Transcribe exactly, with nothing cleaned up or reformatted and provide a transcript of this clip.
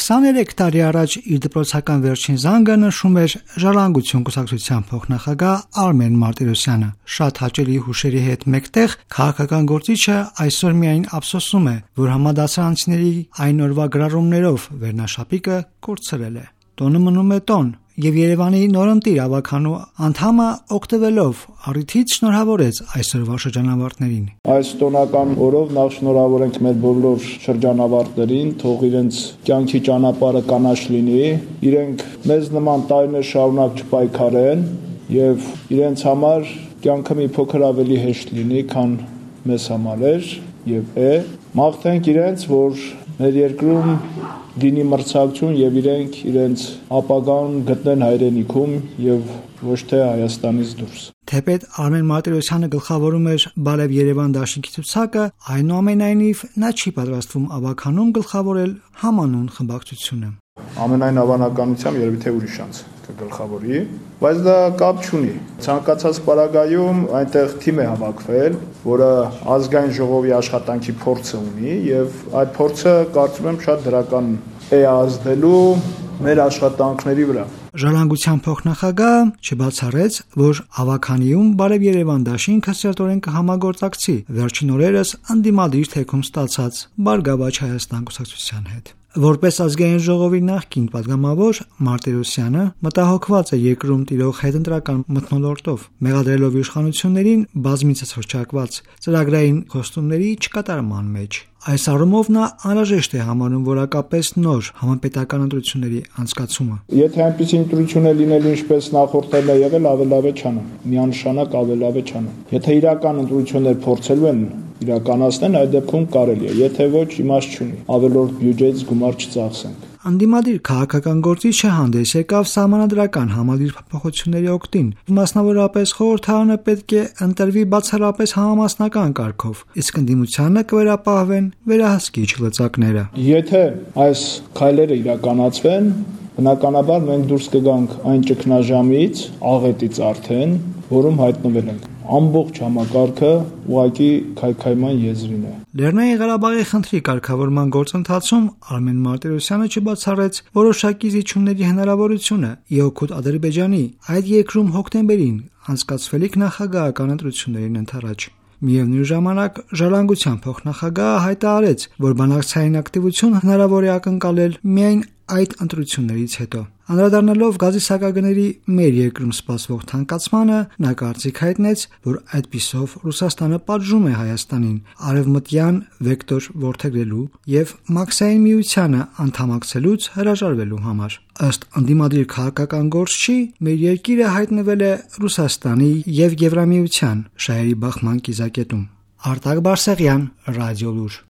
քսաներեք տարի առաջ իր դպրոցական վերջին զանգը նշում էր Ժառանգություն կուսակցության փոխնախագահ Արմեն Մարտիրոսյանը։ Շատ հաճելի հուշերի հետ մեկտեղ քաղաքական գործիչը այսօր միայն ափսոսում է, որ համադասարանցիների այն օրվա գրառումներով վերնաշապիկը կորցրել է։ Տոնը մնում է տոն, եւ Երևանի նորընտիր ավականու անդամը օգտվելով առիթից շնորհավորեց այսօրվա շրջանավարտներին։ Այս տոնական օրով նախ շնորհավորենք մեր բոլոր շրջանավարտներին, թող իրենց կյանքի ճանապարհը կանաչ լինի, իրենք մեզ նման տարիներ շարունակ չպայքարեն եւ իրենց համար կյանքը մի փոքր ավելի հեշտ լինի, քան մեզ համար էր եւ է։ Մաղթենք իրենց, որ մեր երկրում լինի մրցակցություն եւ իրենք իրենց ապագան գտնեն հայրենիքում եւ ոչ թե Հայաստանից դուրս։ Թեպետ Արմեն Մարտիրոսյանը գլխավորում էր Բարև Երևան դաշինքի ցուցակը, այնուամենայնիվ նա չի պատրաստվում ավականում գլխավորել համանուն խմբակցությունը։ Ամենայն հավանականությամբ երևի թե ուրիշ անց կգլխավորի, բայց դա կապ չունի։ Ցանկացած պարագայում այնտեղ թիմ է հավաքվել, որը ազգային ժողովի աշխատանքի փորձը ունի եւ այդ փորձը կարծում եմ շատ դրական է ազդելու մեր աշխատանքների վրա։ Ժառանգության փոխնախագահը չբացառեց, որ ավականիում Բարև Երևան դաշինքը սերտորեն կհամագործակցի վերջին օրերս անդիմադիր թեքում ստացած Բարգավաճ Հայաստան կուսակցության հետ։ Որպես ազգային ժողովի նախկին падգամավոր Մարտիրոսյանը մտահոգված է երկրում տիրող հետընտրական մթնոլորտով, մեղադրելով իշխանություններին բազմիցս հռչակված ծրագրային խոստումների չկատարման մեջ։ Այս առումով նա անհրաժեշտ է համարում որակապես նոր համապետական ընտրությունների անցկացումը։ Եթե այնպիսի ընտրություն է լինելու, ինչպես նախորդել է եղել, ավելավ է չանան։ Միանշանակ ավելավ է չանան։ Եթե իրական ընտրություններ փորձելու են իրականացնեն, այդ դեպքում կարելի է, եթե ոչ, իմաստ չունի։ Ավելորդ բյուջեից գումար չծախսենք։ Անդիմադիր քաղաքական գործիչը հանդես եկավ սահմանադրական համալիր փոփոխությունների օգտին։ Մասնավորապես խորհրդարանը պետք է ընտրվի բացառապես համամասնական կարգով, իսկ ընդդիմությանը կվերապահվեն վերահսկիչ լծակները։ Եթե այս քայլերը իրականացվեն, բնականաբար մենք դուրս կգանք այն ճգնաժամից, աղետից արդեն, որում հայտնվել ենք։ Ամբողջ համակարգը ուղղակի քայքայման եզրին է։ Լեռնային Ղարաբաղի խնդրի կարգավորման գործընթացում Արմեն Մարտիրոսյանը չբացառեց որոշակի զիջումների հնարավորությունը ի օգուտ Ադրբեջանի այդ երկրում հոկտեմբերին անցկացվելիք նախագահական ընտրություններին ընդառաջ։ Միևնույն ժամանակ Ժառանգության փոխնախագահը հայտարարեց, որ բանակցային ակտիվություն հնարավոր է ակնկալել միայն այդ ընտրություններից հետո։ Անդրադառնալով գազի սակագների մեր երկրում սպասվող թանկացմանը, նա կարծիք հայտնեց, որ այդպիսով Ռուսաստանը պատժում է Հայաստանին արևմտյան վեկտոր որդեգրելու եւ Մաքսային միությանը անդամակցելուց հրաժարվելու համար։ Ըստ ընդդիմադիր քաղաքական գործչի, մեր երկիրը հայտնվել է Ռուսաստանի եւ Եվրամիության շահերի բախման կիզակետում։ Արտակ Բարսեղյան, Ռադիոլուր։